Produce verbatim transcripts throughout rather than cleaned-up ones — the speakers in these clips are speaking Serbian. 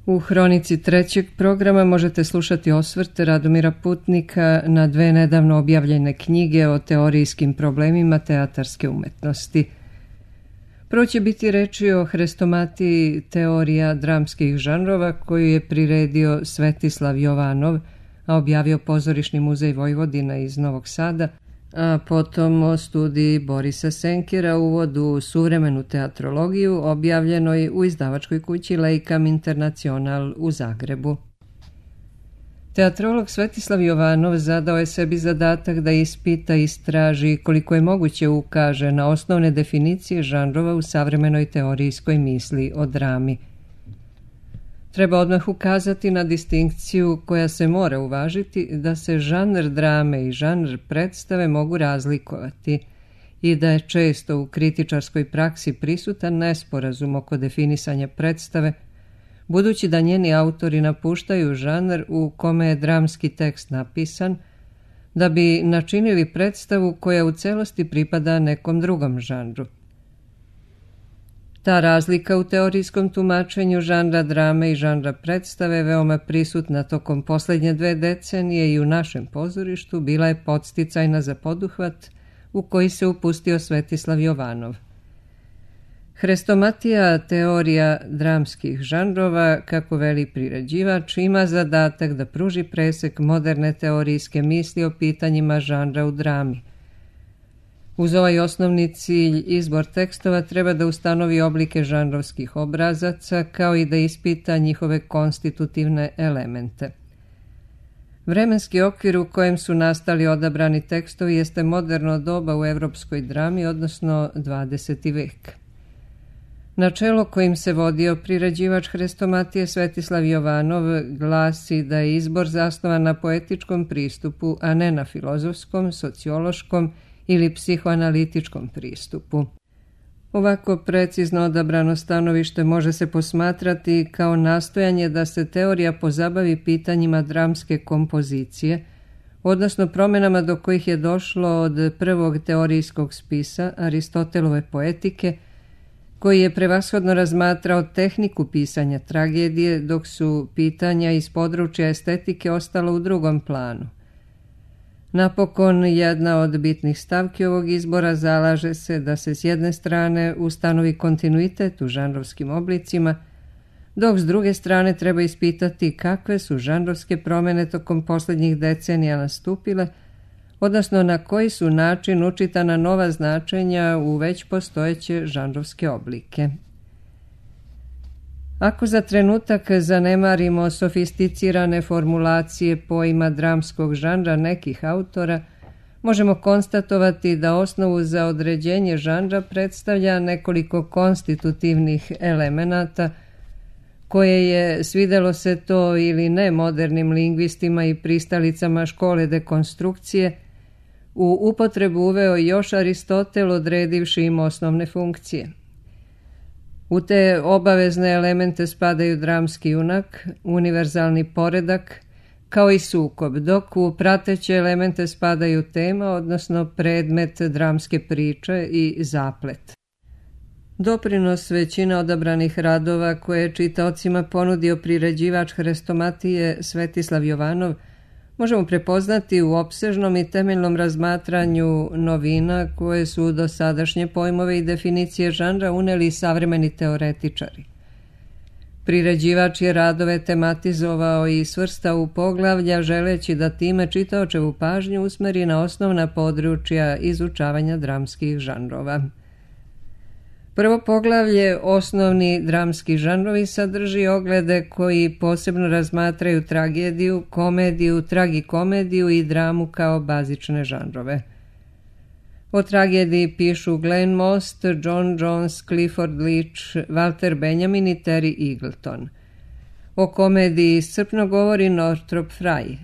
U hronici trećeg programa možete slušati osvrt Radomira Putnika na dve nedavno objavljene knjige o teorijskim problemima teatarske umetnosti. Prvo će biti reči o hrestomatiji teorija dramskih žanrova koju je priredio Svetislav Jovanov, a objavio Pozorišni muzej Vojvodina iz Novog Sada, a potom o studiji Borisa Senkera Uvod u suvremenu teatrologiju objavljenoj u izdavačkoj kući Leikam Internacional u Zagrebu. Teatrolog Svetislav Jovanov zadao je sebi zadatak da ispita i istraži koliko je moguće ukaže na osnovne definicije žanrova u savremenoj teorijskoj misli o drami. Treba odmah ukazati na distinkciju koja se mora uvažiti da se žanr drame i žanr predstave mogu razlikovati i da je često u kritičarskoj praksi prisutan nesporazum oko definisanja predstave, budući da njeni autori napuštaju žanr u kome je dramski tekst napisan, da bi načinili predstavu koja u celosti pripada nekom drugom žanru. Ta razlika u teorijskom tumačenju žanra drame i žanra predstave veoma prisutna tokom posljednje dve decenije i u našem pozorištu bila je podsticajna za poduhvat u koji se upustio Svetislav Jovanov. Hrestomatija teorija dramskih žanrova, kako veli priređivač, ima zadatak da pruži presek moderne teorijske misli o pitanjima žanra u drami. Uz ovaj osnovni cilj, izbor tekstova treba da ustanovi oblike žanrovskih obrazaca, kao i da ispita njihove konstitutivne elemente. Vremenski okvir u kojem su nastali odabrani tekstovi jeste moderno doba u evropskoj drami, odnosno dvadeseti vek. Načelo kojim se vodio priređivač hrestomatije Svetislav Jovanov glasi da je izbor zasnovan na poetičkom pristupu, a ne na filozofskom, sociološkom ili psihoanalitičkom pristupu. Ovako precizno odabrano stanovište može se posmatrati kao nastojanje da se teorija pozabavi pitanjima dramske kompozicije, odnosno promjenama do kojih je došlo od prvog teorijskog spisa Aristotelove poetike, koji je prevashodno razmatrao tehniku pisanja tragedije, dok su pitanja iz područja estetike ostala u drugom planu. Napokon, jedna od bitnih stavki ovog izbora zalaže se da se s jedne strane ustanovi kontinuitet u žanrovskim oblicima, dok s druge strane treba ispitati kakve su žanrovske promjene tokom posljednjih decenija nastupile, odnosno na koji su način učitana nova značenja u već postojeće žanrovske oblike. Ako za trenutak zanemarimo sofisticirane formulacije pojma dramskog žanra nekih autora, možemo konstatovati da osnovu za određenje žanra predstavlja nekoliko konstitutivnih elemenata koje je, svidelo se to ili ne modernim lingvistima i pristalicama škole dekonstrukcije, u upotrebu uveo još Aristotel odredivši im osnovne funkcije. U te obavezne elemente spadaju dramski junak, univerzalni poredak, kao i sukob, dok u prateće elemente spadaju tema, odnosno predmet dramske priče i zaplet. Doprinos većine odabranih radova koje je čitaocima ponudio priređivač hrestomatije Svetislav Jovanov možemo prepoznati u opsežnom i temeljnom razmatranju novina koje su u dosadašnje pojmove i definicije žanra uneli savremeni teoretičari. Priređivač je radove tematizovao i svrstao u poglavlja želeći da time čitaočevu pažnju usmeri na osnovna područja izučavanja dramskih žanrova. Prvo poglavlje, osnovni dramski žanrovi, sadrži oglede koji posebno razmatraju tragediju, komediju, tragikomediju i dramu kao bazične žanrove. O tragediji pišu Glenn Most, John Jones, Clifford Leach, Walter Benjamin i Terry Eagleton. O komediji iscrpno govori Northrop Frye.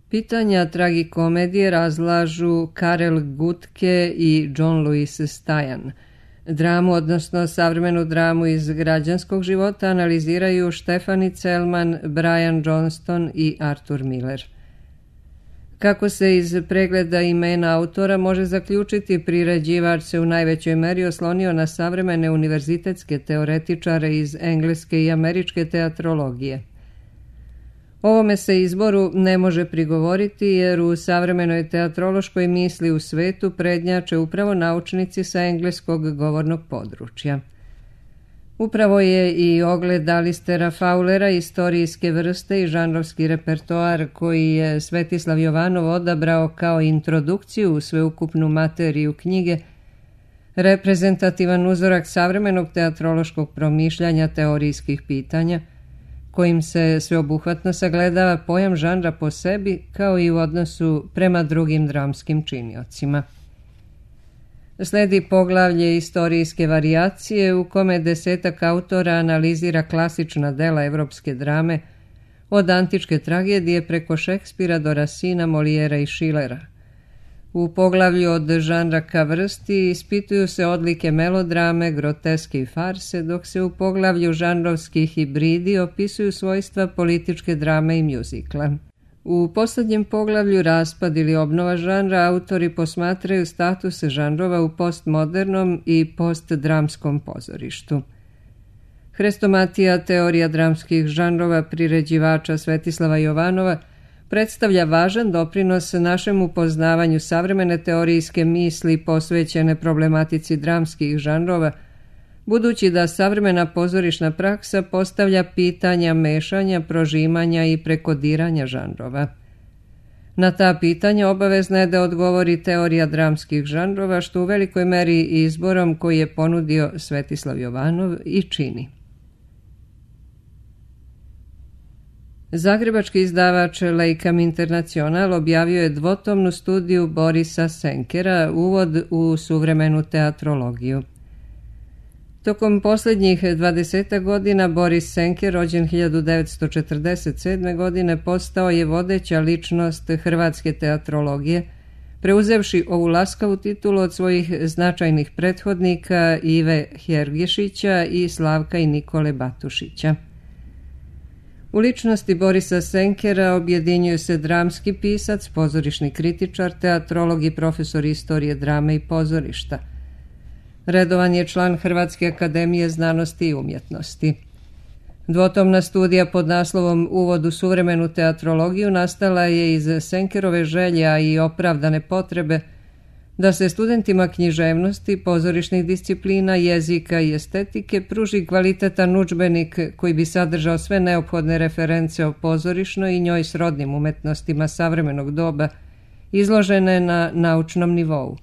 Pitanja tragikomedije razlažu Karel Gutke i John Louis Stajan. Dramu, odnosno savremenu dramu iz građanskog života, analiziraju Štefani Celman, Brian Johnston i Arthur Miller. Kako se iz pregleda imena autora može zaključiti, priređivač se u najvećoj meri oslonio na savremene univerzitetske teoretičare iz engleske i američke teatrologije. Ovome se izboru ne može prigovoriti jer u savremenoj teatrološkoj misli u svetu prednjače upravo naučnici sa engleskog govornog područja. Upravo je i ogled Alistera Fowlera istorijske vrste i žanrovski repertoar koji je Svetislav Jovanov odabrao kao introdukciju u sveukupnu materiju knjige reprezentativan uzorak savremenog teatrološkog promišljanja teorijskih pitanja, kojim se sveobuhvatno sagledava pojam žanra po sebi kao i u odnosu prema drugim dramskim činiocima. Sledi poglavlje istorijske varijacije u kome desetak autora analizira klasična dela evropske drame od antičke tragedije preko Šekspira do Rasina, Molijera i Šilera. U poglavlju od žanra ka vrsti ispituju se odlike melodrame, groteske i farse, dok se u poglavlju žanrovski hibridi opisuju svojstva političke drame i mjuzikla. U posljednjem poglavlju raspad ili obnova žanra autori posmatraju status žanrova u postmodernom i postdramskom pozorištu. Hrestomatija, teorija dramskih žanrova priređivača Svetislava Jovanova, predstavlja važan doprinos našem upoznavanju savremene teorijske misli posvećene problematici dramskih žanrova, budući da savremena pozorišna praksa postavlja pitanja mešanja, prožimanja i prekodiranja žanrova. Na ta pitanja obavezna je da odgovori teorija dramskih žanrova, što u velikoj meri izborom koji je ponudio Svetislav Jovanov i čini. Zagrebački izdavač Leikam Internacional objavio je dvotomnu studiju Borisa Senkera Uvod u suvremenu teatrologiju. Tokom posljednjih dvadesetak godina Boris Senker, rođen hiljadu devetsto četrdeset sedme. godine, postao je vodeća ličnost hrvatske teatrologije, preuzevši ovu laskavu titulu od svojih značajnih prethodnika Ive Hergišića i Slavka i Nikole Batušića. U ličnosti Borisa Senkera objedinjuju se dramski pisac, pozorišni kritičar, teatrolog i profesor istorije drame i pozorišta. Redovan je član Hrvatske akademije znanosti i umjetnosti. Dvotomna studija pod naslovom Uvod u suvremenu teatrologiju nastala je iz Senkerove želja i opravdane potrebe da se studentima književnosti, pozorišnih disciplina, jezika i estetike pruži kvalitetan udžbenik koji bi sadržao sve neophodne reference o pozorišnoj i njoj srodnim umetnostima savremenog doba, izložene na naučnom nivou.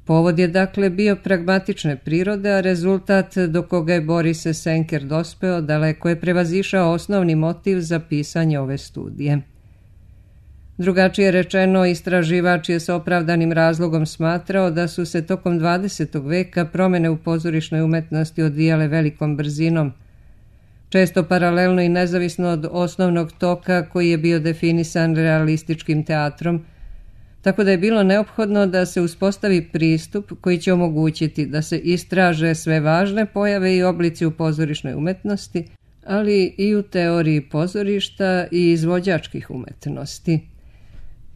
Povod je dakle bio pragmatične prirode, a rezultat do koga je Boris Senker dospeo daleko je prevazišao osnovni motiv za pisanje ove studije. Drugačije rečeno, istraživač je s opravdanim razlogom smatrao da su se tokom dvadesetog veka promjene u pozorišnoj umetnosti odvijale velikom brzinom, često paralelno i nezavisno od osnovnog toka koji je bio definisan realističkim teatrom, tako da je bilo neophodno da se uspostavi pristup koji će omogućiti da se istraže sve važne pojave i oblici u pozorišnoj umetnosti, ali i u teoriji pozorišta i izvođačkih umetnosti.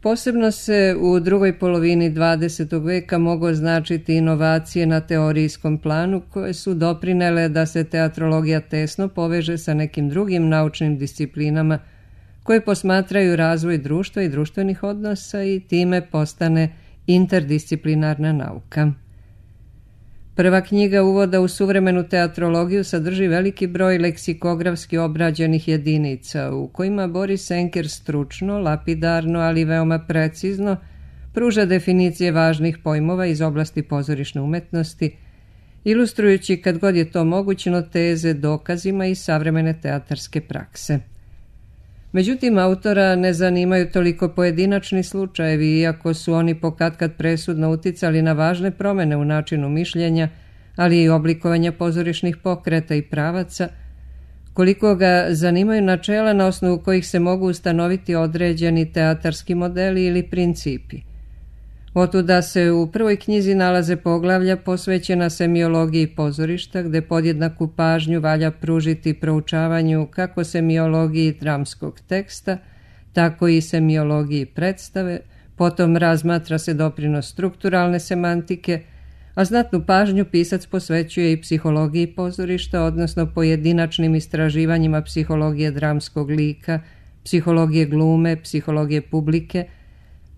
Posebno se u drugoj polovini dvadesetog veka mogu označiti inovacije na teorijskom planu koje su doprinele da se teatrologija tesno poveže sa nekim drugim naučnim disciplinama koje posmatraju razvoj društva i društvenih odnosa i time postane interdisciplinarna nauka. Prva knjiga Uvoda u suvremenu teatrologiju sadrži veliki broj leksikografski obrađenih jedinica u kojima Boris Senker stručno, lapidarno, ali veoma precizno pruža definicije važnih pojmova iz oblasti pozorišne umetnosti, ilustrujući kad god je to mogućno teze dokazima iz savremene teatarske prakse. Međutim, autora ne zanimaju toliko pojedinačni slučajevi, iako su oni pokatkad presudno uticali na važne promjene u načinu mišljenja, ali i oblikovanja pozorišnih pokreta i pravaca, koliko ga zanimaju načela na osnovu kojih se mogu ustanoviti određeni teatarski modeli ili principi. Otuda se u prvoj knjizi nalaze poglavlja posvećena semiologiji pozorišta, gde podjednaku pažnju valja pružiti proučavanju kako semiologiji dramskog teksta, tako i semiologiji predstave, potom razmatra se doprinos strukturalne semantike, a znatnu pažnju pisac posvećuje i psihologiji pozorišta, odnosno pojedinačnim istraživanjima psihologije dramskog lika, psihologije glume, psihologije publike,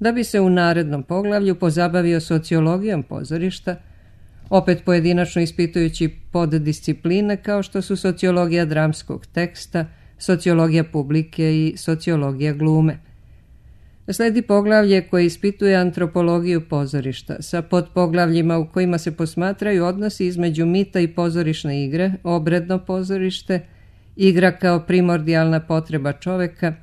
da bi se u narednom poglavlju pozabavio sociologijom pozorišta, opet pojedinačno ispitujući poddiscipline kao što su sociologija dramskog teksta, sociologija publike i sociologija glume. Sledi poglavlje koje ispituje antropologiju pozorišta sa podpoglavljima u kojima se posmatraju odnosi između mita i pozorišne igre, obredno pozorište, igra kao primordijalna potreba čoveka,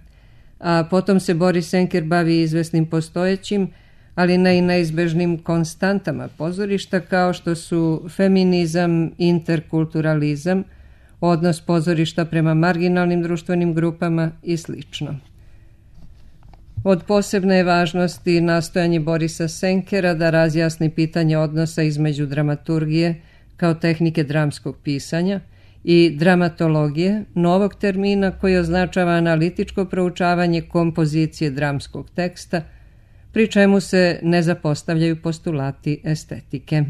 a potom se Boris Senker bavi izvesnim postojećim, ali ne i neizbežnim konstantama pozorišta kao što su feminizam, interkulturalizam, odnos pozorišta prema marginalnim društvenim grupama i slično. Od posebne je važnosti nastojanje Borisa Senkera da razjasni pitanje odnosa između dramaturgije kao tehnike dramskog pisanja i dramatologije, novog termina koji označava analitičko proučavanje kompozicije dramskog teksta, pri čemu se ne zapostavljaju postulati estetike.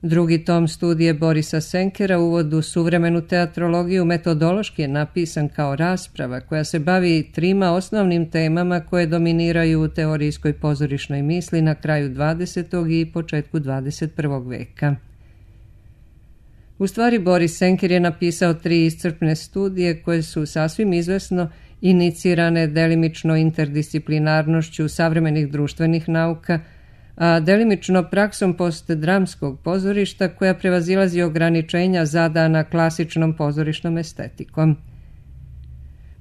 Drugi tom studije Borisa Senkera, Uvod u suvremenu teatrologiju, metodološki je napisan kao rasprava koja se bavi trima osnovnim temama koje dominiraju u teorijskoj pozorišnoj misli na kraju dvadesetog i početku dvadeset prvog veka. U stvari, Boris Senker je napisao tri iscrpne studije koje su sasvim izvesno inicirane delimično interdisciplinarnošću savremenih društvenih nauka, a delimično praksom postdramskog pozorišta koja prevazilazi ograničenja zadana klasičnom pozorišnom estetikom.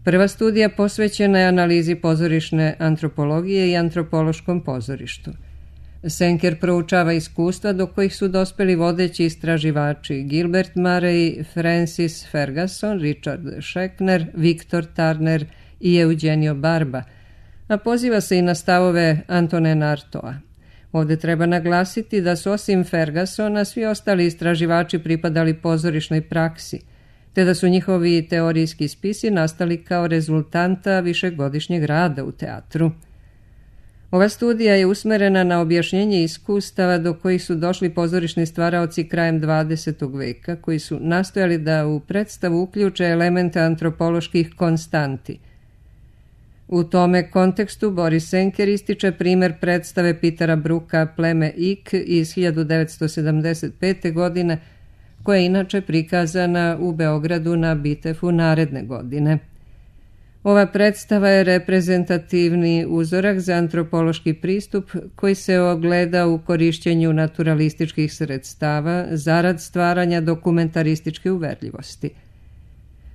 Prva studija posvećena je analizi pozorišne antropologije i antropološkom pozorištu. Senker proučava iskustva do kojih su dospeli vodeći istraživači Gilbert Murray, Francis Ferguson, Richard Schechner, Victor Turner i Eugenio Barba, a poziva se i na stavove Antonin Artaud. Ovdje treba naglasiti da su osim Fergusona svi ostali istraživači pripadali pozorišnoj praksi, te da su njihovi teorijski spisi nastali kao rezultanta višegodišnjeg rada u teatru. Ova studija je usmerena na objašnjenje iskustava do kojih su došli pozorišni stvaraoci krajem dvadesetog veka, koji su nastojali da u predstavu uključe elemente antropoloških konstanti. U tome kontekstu Boris Senker ističe primjer predstave Petera Brooka Pleme Ik iz hiljadu devetsto sedamdeset pete. godine, koja je inače prikazana u Beogradu na Bitefu naredne godine. Ova predstava je reprezentativni uzorak za antropološki pristup koji se ogleda u korišćenju naturalističkih sredstava zarad stvaranja dokumentarističke uverljivosti.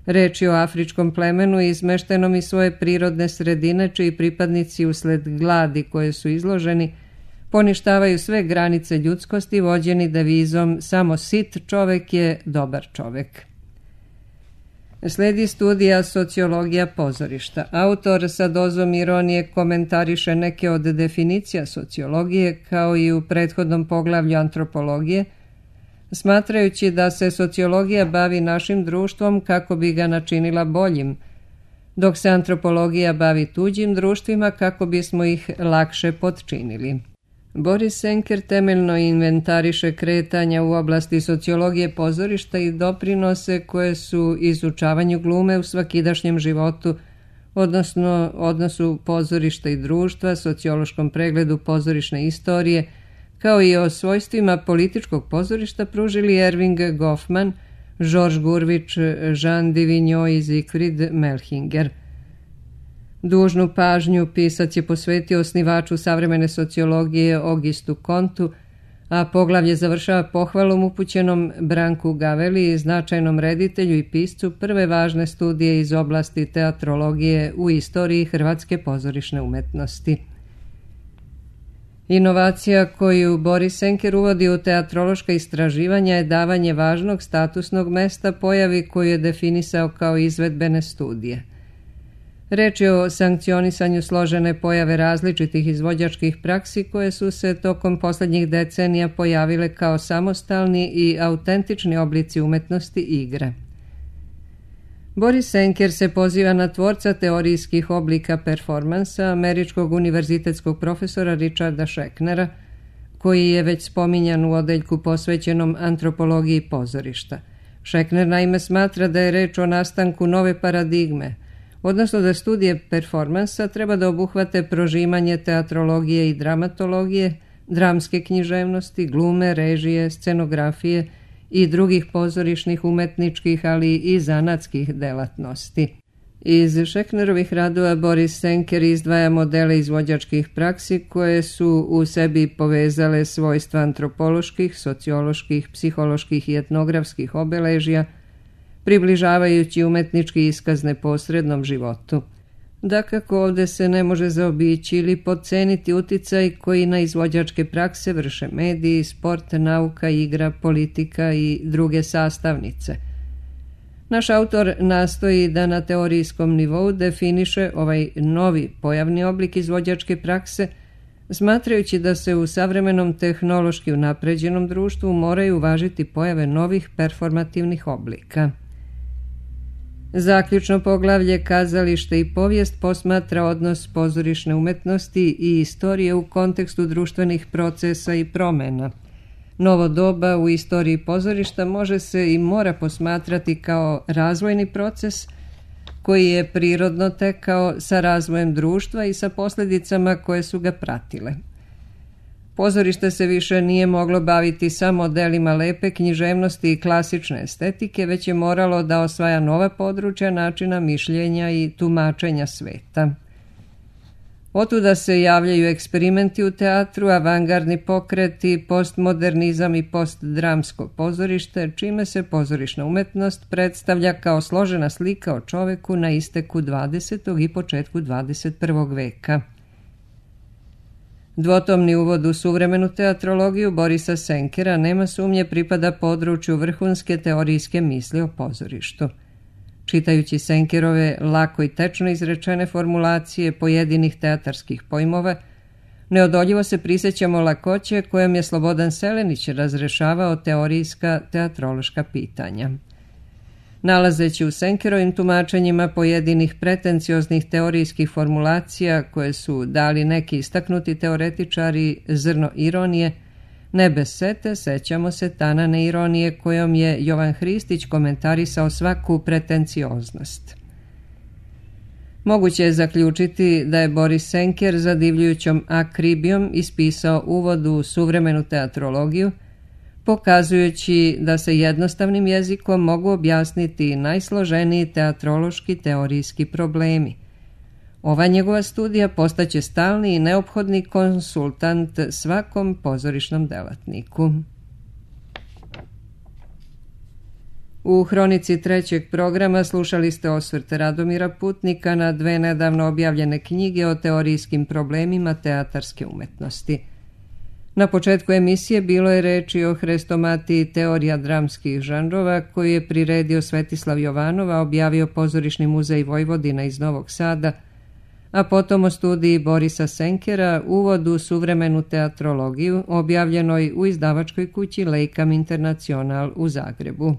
Reč je o afričkom plemenu izmeštenom iz svoje prirodne sredine, čiji pripadnici usled gladi koje su izloženi poništavaju sve granice ljudskosti vođeni devizom samo sit čovek je dobar čovek. Sledi studija sociologija pozorišta. Autor sa dozom ironije komentariše neke od definicija sociologije kao i u prethodnom poglavlju antropologije, smatrajući da se sociologija bavi našim društvom kako bi ga načinila boljim, dok se antropologija bavi tuđim društvima kako bismo ih lakše potčinili. Boris Senker temeljno inventariše kretanja u oblasti sociologije pozorišta i doprinose koje su izučavanju glume u svakidašnjem životu, odnosno odnosu pozorišta i društva, sociološkom pregledu pozorišne istorije, kao i o svojstvima političkog pozorišta pružili Erving Goffman, Georges Gurvić, Jean Divigno i Siegfried Melchinger. Dužnu pažnju pisac je posvetio osnivaču savremene sociologije Augustu Comtu, a poglavlje završava pohvalom upućenom Branku Gaveli, značajnom reditelju i piscu prve važne studije iz oblasti teatrologije u istoriji hrvatske pozorišne umetnosti. Inovacija koju Boris Senker uvodi u teatrološka istraživanja je davanje važnog statusnog mesta pojavi koju je definisao kao izvedbene studije. Reč je o sankcionisanju složene pojave različitih izvođačkih praksi koje su se tokom posljednjih decenija pojavile kao samostalni i autentični oblici umetnosti igre. Boris Senker se poziva na tvorca teorijskih oblika performansa, američkog univerzitetskog profesora Richarda Schechnera, koji je već spominjan u odeljku posvećenom antropologiji pozorišta. Šekner naime smatra da je reč o nastanku nove paradigme, odnosno da studije performansa treba da obuhvate prožimanje teatrologije i dramatologije, dramske književnosti, glume, režije, scenografije i drugih pozorišnih, umetničkih, ali i zanatskih delatnosti. Iz Šeknerovih radova Boris Senker izdvaja modele izvođačkih praksi koje su u sebi povezale svojstva antropoloških, socioloških, psiholoških i etnografskih obeležja, približavajući umetnički iskaz neposrednom životu. Dakako, ovde se ne može zaobići ili podceniti uticaj koji na izvođačke prakse vrše mediji, sport, nauka, igra, politika i druge sastavnice. Naš autor nastoji da na teorijskom nivou definiše ovaj novi pojavni oblik izvođačke prakse, smatrajući da se u savremenom tehnološki unapređenom društvu moraju uvažiti pojave novih performativnih oblika. Zaključno poglavlje Kazalište i povijest posmatra odnos pozorišne umetnosti i istorije u kontekstu društvenih procesa i promena. Novo doba u istoriji pozorišta može se i mora posmatrati kao razvojni proces koji je prirodno tekao sa razvojem društva i sa posljedicama koje su ga pratile. Pozorište se više nije moglo baviti samo delima lepe književnosti i klasične estetike, već je moralo da osvaja nova područja načina mišljenja i tumačenja sveta. Otuda se javljaju eksperimenti u teatru, avangardni pokreti, postmodernizam i postdramsko pozorište, čime se pozorišna umetnost predstavlja kao složena slika o čoveku na isteku dvadesetog i početku dvadeset prvog veka. Dvotomni uvod u suvremenu teatrologiju Borisa Senkera nema sumnje pripada području vrhunske teorijske misli o pozorištu. Čitajući Senkerove lako i tečno izrečene formulacije pojedinih teatarskih pojmova, neodoljivo se prisjećamo lakoće kojom je Slobodan Selenić razrešavao teorijska teatrološka pitanja. Nalazeći u Senkerovim tumačenjima pojedinih pretencioznih teorijskih formulacija koje su dali neki istaknuti teoretičari zrno ironije, ne bez sete sećamo se tanane ironije kojom je Jovan Hristić komentarisao svaku pretencioznost. Moguće je zaključiti da je Boris Senker zadivljujućom akribijom ispisao uvod u suvremenu teatrologiju, pokazujući da se jednostavnim jezikom mogu objasniti najsloženiji teatrološki teorijski problemi. Ova njegova studija postaće stalni i neophodni konsultant svakom pozorišnom delatniku. U hronici trećeg programa slušali ste osvrt Radomira Putnika na dve nedavno objavljene knjige o teorijskim problemima teatarske umetnosti. Na početku emisije bilo je reči o hrestomatiji teorija dramskih žanrova koju je priredio Svetislav Jovanova, objavio Pozorišni muzej Vojvodina iz Novog Sada, a potom o studiji Borisa Senkera Uvod u suvremenu teatrologiju, objavljenoj u izdavačkoj kući Lejkam Internacional u Zagrebu.